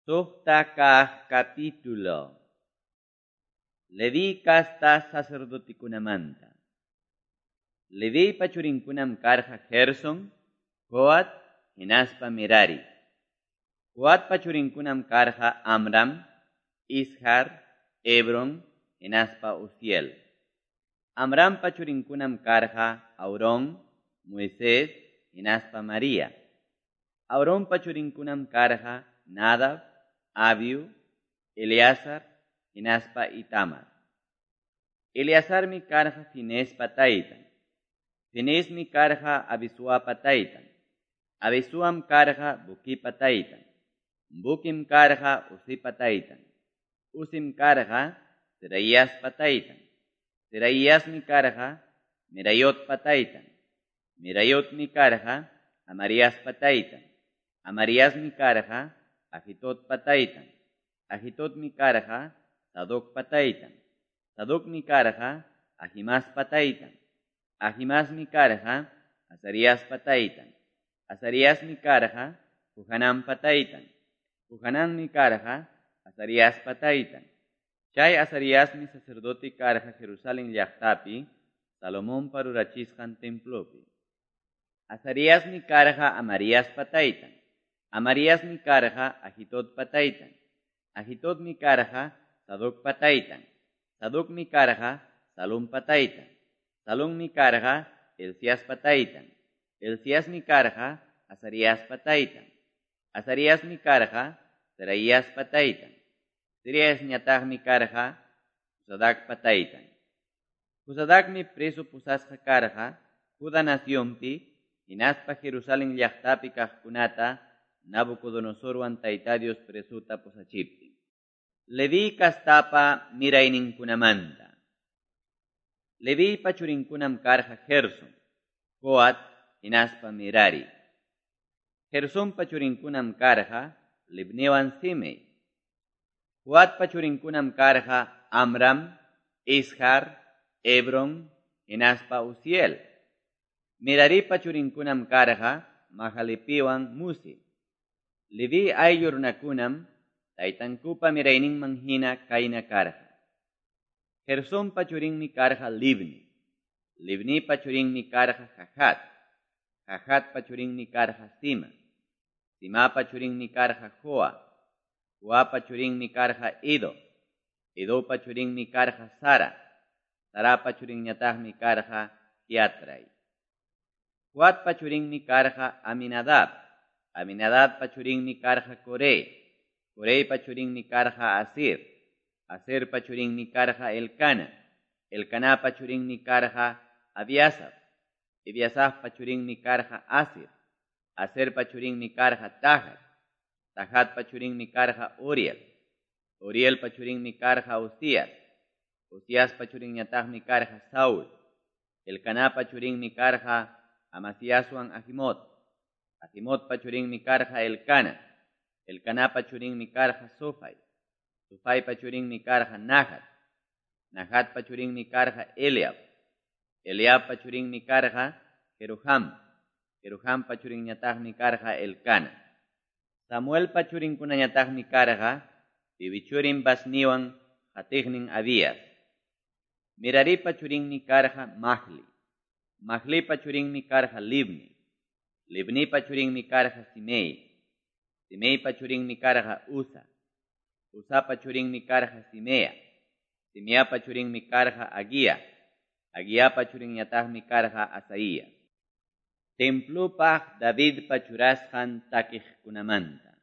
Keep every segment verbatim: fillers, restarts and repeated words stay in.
Suqta kaq capítulo. Leví casta sacerdotekunamanta. Leviypa churinkunam karqa Gerson, Coat, hinaspa Merari. Coatpa churinkunam karqa Amram, Izhar, Hebron, hinaspa Uziel. Amrampa churinkunam karqa Aarón, Moisés, hinaspa María. Aaronpa churinkunam karqa Nadab, Abiu, Eleazar, hinaspa Itamar. Eleazarmi karqa Fineespa taytan. Fineesmi karqa Abisuapa taytan. Abisuam karqa Buquipa taytan. Buquim karqa Uzipa taytan. Uzim karqa Zerahiaspa taytan. Zerahiasmi karqa Merayotpa taytan. Merayotmi karqa Amariaspa taytan. Amariasmi karqa Ahitodpa taytan. Ahitodmi karqa Sadocpa taytan. Sadocmi karqa Ahimaaspa taytan. Ahimaasmi karqa Azariaspa taytan. Azariasmi karqa Johananpa taytan. Johananmi karqa Azariaspa taytan. Chay Azariasmi sacerdote karqa Jerusalén llaqtapi, Salomonpa rurachisqan templopi. Azariasmi karqa Amariaspa taytan. Amariasmi karqa Ahitodpa taytan. Ahitodmi karqa Sadocpa taytan. Sadocmi karqa Salumpa taytan. Salummi karqa Hilciaspa taytan. Hilciasmi karqa Azariaspa taytan. Azariasmi karqa Serahiaspa taytan. Serahiasñataqmi karqa Josadacpa taytan. Josadacmi preso pusasqa karqa Judá nacionpi, hinaspa Jerusalén llaqtapi kaqkunata Nabucodonosorwan Tayta Dios presuta pusachiptin. Leví kastapa mirayninkunamanta. Leviypa churinkunam karqa Gerson, Coat, hinaspa Merari. Gersonpa churinkunam karqa Libniwan Simei. Coatpa churinkunam karqa Amram, Izhar, Hebron, hinaspa Uziel. Meraripa churinkunam karqa Mahalipiwan Musi. Leví ayllu runakunam taytankupa mirayninman hina kayna karqa. Gersonpa churinmi karqa Libni. Libnipa churinmi karqa Jahat. Jahatpa churinmi karqa Sima. Simapa churinmi karqa Joa. Joapa churinmi karqa Ido. Idopa churinmi karqa Sara. Sarapa churinñataqmi karqa Jeatrai. Coatpa churinmi karqa Aminadab. Aminadabpa churinmi karqa Coré. Coreypa churinmi karqa Asir. Asirpa churinmi karqa Elcana. Elcanapa churinmi karqa Abiasaf. Abiasafpa churinmi karqa Asir. Asirpa churinmi karqa Tahat. Tahatpa churinmi karqa Uriel. Urielpa churinmi karqa Uzías. Uziaspa churinñataqmi karqa Saúl. Elcanapa churinmi karqa Amasiaswan Ahimot. Ahimotpa churinmi karqa Elcana. Elcanapa churinmi karqa Sofai. Sofaipa churinmi karqa Nahat. Nahatpa churinmi karqa Eliab. Eliabpa churinmi karqa Jeroham. Jerohampa churinñataqmi karqa Elcana. Samuelpa churinkunañataqmi karqa Piwi churin Basniwan qatiqnin Abías. Meraripa churinmi karqa Mahli. Mahlipa churinmi karqa Libni. Libnipa churinmi karqa Simei. Simeipa churinmi karqa Uza. Uzapa churinmi karqa Simea. Simeapa churinmi karqa Aguía. Aguiapa churinñataqmi karqa Asaías. Templopaq Davidpa churasqan takiqkunamanta.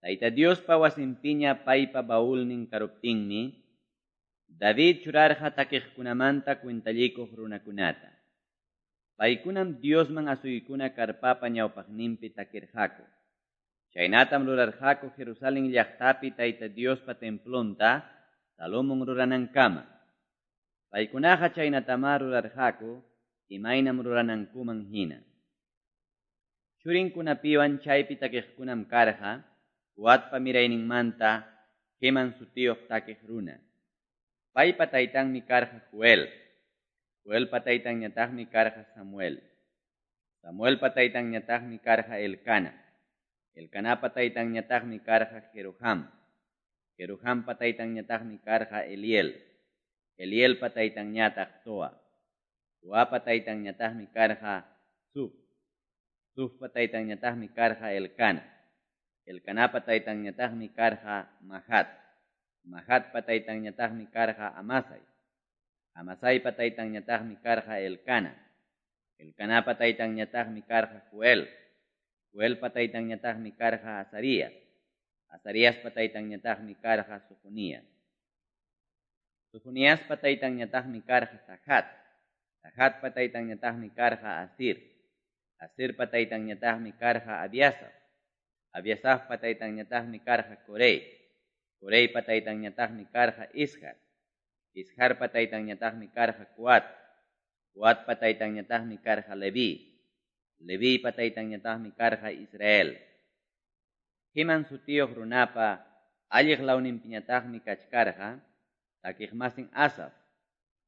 Tayta Diospa wasinpiña paypa baulnin karuptinmi, David churarqa takiqkunamanta cuentallikuq runakunata. Paykunam Diosman asuykuna karpapa ñawpaqninpi takirqaku. Chaynatam rurarqaku Jerusalén llaqtapi Tayta Diospa templonta Salomón ruranankama. Paykunaqa chaynatamá rurarqaku imaynam ruranankuman hina. Churinkunapiwan chaypi takiqkunam karqa Coatpa mirayninmanta Heman sutiyuq takiq runa. Paypa taytanmi karqa Joel. Joelpa taytanñataqmi karqa Samuel. Samuelpa taytanñataqmi karqa Elcana. Elcanapa taytanñataqmi karqa Jeroham. Jerohampa taytanñataqmi karqa Eliel. Elielpa taytanñataq Toa. Toapa taytanñataqmi karqa Zuf. Zufpa taytanñataqmi karqa Elcana. Elcanapa taytanñataqmi karqa Mahat. Mahatpa taytanñataqmi karqa Amasai. Amasaipa taytanñataqmi karqa Elcana. Elcanapa taytanñataqmi karqa Joel. Joelpa taytanñataqmi karqa Azarías. Azariaspa taytanñataqmi karqa Sofonías. Sofoniaspa taytanñataqmi karqa Tahat. Tahatpa taytanñataqmi karqa Asir. Asirpa taytanñataqmi karqa Abiasaf. Abiasafpa taytanñataqmi karqa Corey. Coreypa taytanñataqmi karqa Izhar. Izharpa taytanñataqmi karqa Coat. Coatpa taytanñataqmi karqa Leví. Leviypa taytanñataqmi karqa Israel. Heman sutiyuq runapa alliq lawninpiñataqmi kachkarqa takiqmasin Asaf.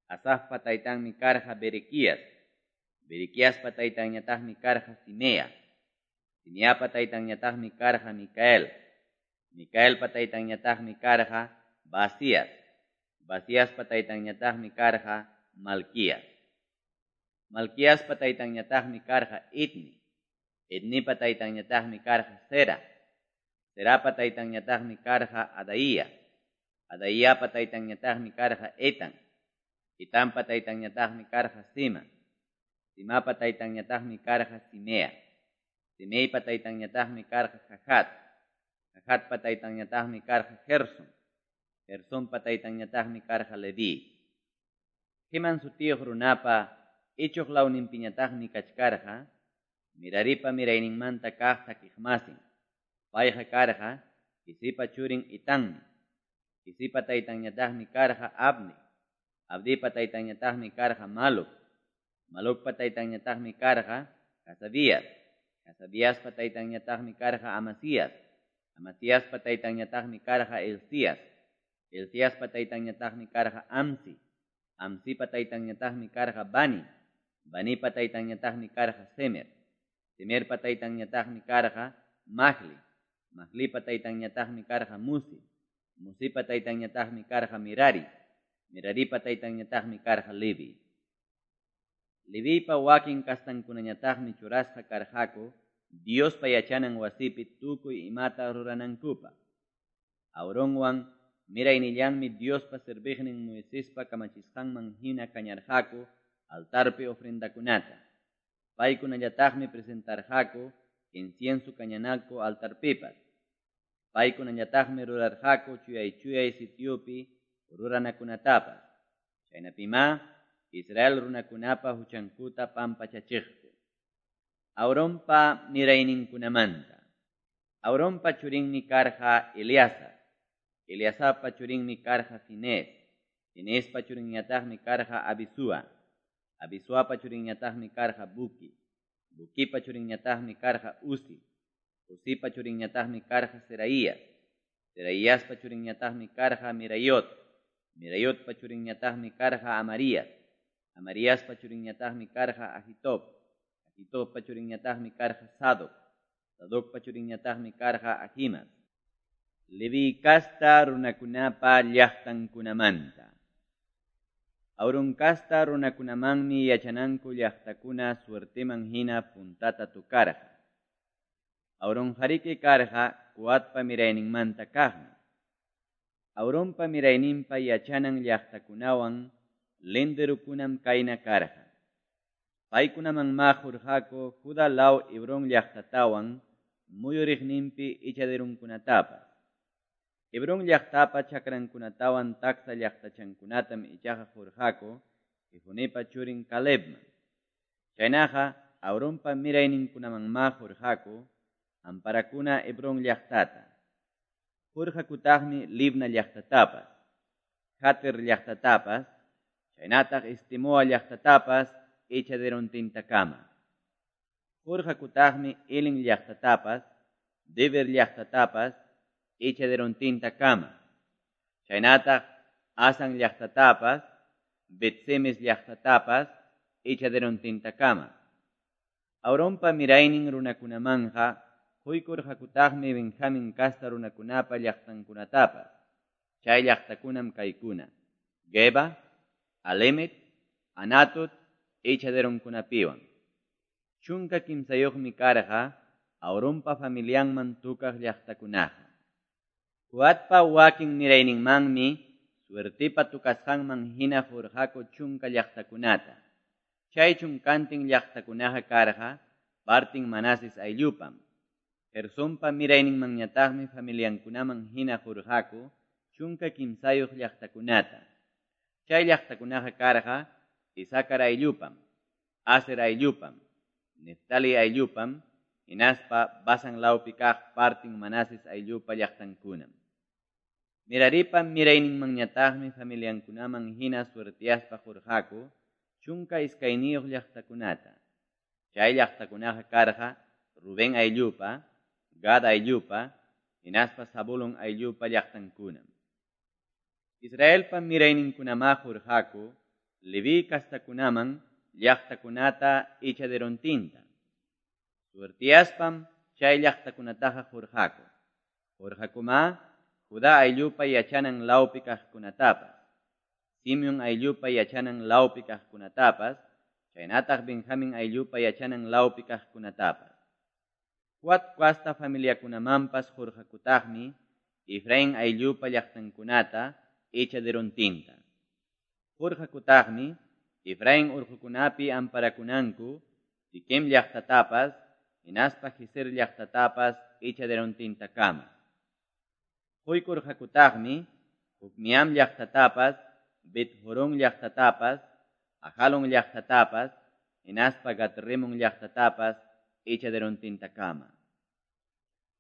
Asafpa taytanmi karqa Berequías. Berequiaspa taytanñataqmi karqa Simea. Simeapa taytanñataqmi karqa Micael. Micaelpa taytanñataqmi karqa Baasías. Baasíaspa taytanñataqmi karqa Malquías. Malquiaspa taytanñataqmi karqa Etni. Etnipa taytanñataqmi karqa Zera. Zerapa taytanñataqmi karqa Adaía. Adaíapa taytanñataqmi karqa Etan. Etanpa taytanñataqmi karqa Zima. Zimapa taytanñataqmi karqa Simea. Simeipa taytanñataqmi karqa Jahat. Jahatpa taytanñataqmi karqa Gerson. Gersonpa taytanñataqmi karqa Leví. Heman sutiyuq runapa ichuq lawninpiñataqmi kachkarqa Meraripa mirayninmanta kaq takiqmasin. Payqa karqa Quisipa churin Etanmi. Quisipa taytanñataqmi karqa Abdi. Abdipa taytanñataqmi karqa Maluc. Malucpa taytanñataqmi karqa Hasabías. Hasabiaspa taytanñataqmi karqa Amasías. Amasíaspa taytanñataqmi karqa Hilcías. Hilciaspa taytanñataqmi karqa Amsi. Amsipa taytanñataqmi karqa Bani. Banipa taytanñataqmi karqa Semer. Semerpa taytanñataqmi karqa Mahli. Mahlipa taytanñataqmi karqa Musi. Musipa taytanñataqmi karqa Merari. Meraripa taytanñataqmi karqa Levi. Leviypa wakin kastankunañataqmi churasqa karqaku Diospa yachanan wasipi tukuy imata ruranankupaq. Aaronwan miraynillanmi Diospa serviqnin Moisespa kamachisqanman hina kañarqaku altarpi ofrendakunata. Paykunallataqmi presentarqaku incienso kañanaku altarpipas. Paykunallataqmi rurarqaku chuyay-chuyay sitiopi ruranakunatapas. Chaynapimá Israel runakunapa huchankuta pampachachiqku. Aaronpa mirayninkunamanta. Aaronpa churinmi karqa Eleazar. Eleazarpa churinmi karqa Finees. Fineespa churinñataqmi karqa Abisúa. Abisuapa churinñataqmi karqa Buqui. Buquipa churinñataqmi karqa Uzi. Uzipa churinñataqmi karqa Zeraías. Zeraíaspa churinñataqmi karqa Meraiot. Meraiotpa churinñataqmi karqa Amarías. Amariaspa churinñataqmi karqa Ahitob. Ahitobpa churinñataqmi karqa Sadoc. Sadocpa churinñataqmi karqa Ahimaas. Leví kasta runakunapa llaqtankunamanta. Aaron kasta runakunamanmi yachananku llaqtakuna suerteman hina puntata tukarqa. Aaronqariki karqa Coatpa mirayninmanta kaqmi. Aaronpa mirayninpa yachanan llaqtakunawan linderukunam kayna karqa. Paykunamanmá qurqaku Judá law Hebrón llaqtatawan muyuriqninpi ichaderunkunatapas. Hebrón llaqtapa chakrankunatawan taksa llaqtachankunatam ichaqa qurqaku Jefonepa churin Calebman. Chaynaqa Aaronpa mirayninkunamanmá qurqaku amparakuna Hebrón llaqtata. Qurqakutaqmi Libna llaqtatapas, Jatir llaqtatapas, chaynataq Estemoa llaqtatapas ichaderontintakama. Qurqakutaqmi Elin llaqtatapas, Debir llaqtatapas, ichaderontintakama. Chaynataq Asan llaqtatapas, Bet-semes llaqtatapas, ichaderontintakama. Aaronpa miraynin runakunamanja Quykurqakutaqmi Benjamin casta runakunapa llaqtankunatapas. Chay llaqtakunam kaykuna: Geba, Alemet, Anatot, echaderonkunapiwan. Chunka kimsayuqmi karqa Aarompa familianman tukaq llaqtakunaqa. Coatpa wakin mirayninmanmi suertipa tukasqanman hina qurqaku chunka llaqtakunata. Chay chunkantin llaqtakunaqa karqa partin Manases ayllupam. Gersonpa mirayninmanñataqmi familiankunaman hina qurqaku chunka kimsayuq llaqtakunata. Chay llaqtakunaqa karqa Isacar ayllupam, Aser ayllupam, Neftali ayllupam, hinaspa Basan lawpi kaq partin Manases ayllupa llaqtankunam. Meraripa mirayninmanñataqmi familiankunaman hina suertiaspa qurqaku chunka iskayniyuq llaqtakunata. Chay llaqtakunaqa karqa Rubén ayllupa, Gad ayllupa, hinaspa Zabulón ayllupa llaqtankunam. Israelpa mirayninkunamá qurqaku Leví kastakunaman llaqtakunata echaderontinta. Suertiaspam chay llaqtakunataqa qurqaku. Qurqakumá Judá ayllupa yachanan lawpi kaqkunatapas, Simeón ayllupa yachanan lawpi kaqkunatapas, chaynataq Benjamín ayllupa yachanan lawpi kaqkunatapas. Coat kasta familiakunamanpas qurqakutaqmi Efraín ayllupa llaqtankunata echaderontinta. Qurqakutaqmi Efraín urqukunapi amparakunanku Siquem llaqtatapas, hinaspa Gezer llaqtatapas echaderontintakama. Quykurqakutaqmi Jokmeam llaqtatapas, Bet-Horón llaqtatapas, Ajalón llaqtatapas, hinaspa Gat-Rimón llaqtatapas echaderontintakama.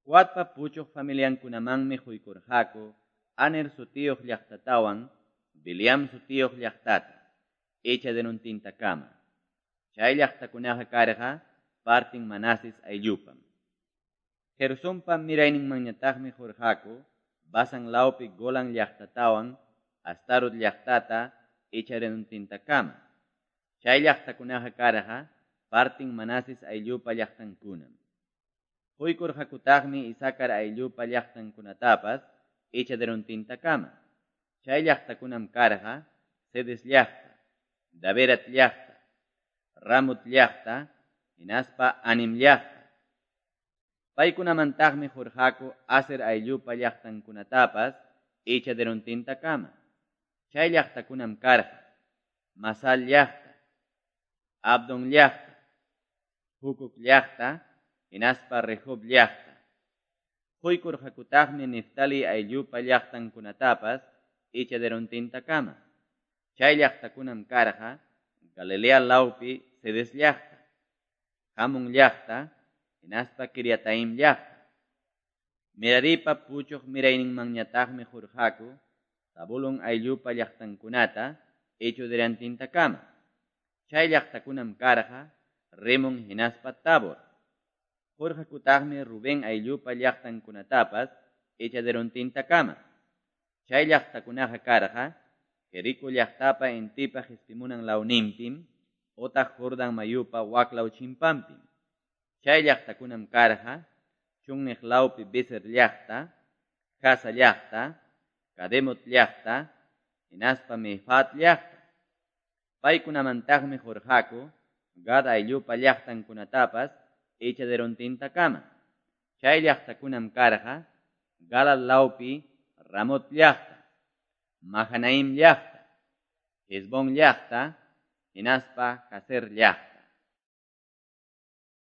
Coatpa puchuq familiankunamanmi quykurqaku Aner sutiyuq llaqtatawan Bileam sutiyuq llaqtata echaderontintakama. Chay llaqtakunaqa karqa partin Manases ayllupam. Gersonpa mirayninmanñataqmi qurqaku Basan lawpi Golan llaqtatawan Astarot llaqtata echaderontintakama. Chay llaqtakunaqa karqa partin Manases ayllupa llaqtankunam. Quykurqakutaqmi Isacar ayllupa llaqtankunatapas echaderontintakama. Chay llaqtakunam karqa Cedes llaqta, Daberat llaqta, Ramot llaqta, hinaspa Anim llaqta. Paykunamantaqmi qurqaku Aser ayllupa llaqtankunatapas echaderontintakama. Chay llaqtakunam karqa Masal llaqta, Abdón llaqta, Hucoc llaqta, hinaspa Rehob llaqta. Quykurqakutaqmi Neftali ayllupa llaqtankunatapas echaderontintakama. Chay llaqtakunam karqa Galilea lawpi Cedes llaqta, Hamon llaqta, hinaspa Kiriataim llaqta. Meraripa puchuq mirayninmanñataqmi qurqaku Zabulón ayllupa llaqtankunata echaderontintakama. Chay llaqtakunam karqa Rimón hinaspa Tabor. Qurqakutaqmi Rubén ayllupa llaqtankunatapas echaderontintakama. Chay llaqtakunaqa karqa Jericó llaqtapa intipa qispimunan lawninpim otaq Jordán mayupa waklaw chimpanpim. Chay llaqtakunam karqa chunniq lawpi Bezer llaqta, Jasa llaqta, Kademot llaqta, hinaspa Mefaat llaqta. Paykunamantaqmi qurqaku Gad ayllupa llaqtankunatapas echaderontintakama. Chay llaqtakunam karqa Galad lawpi Ramot llaqta, Mahanaim llaqta, Hesbón llaqta, hinaspa Jazer llaqta.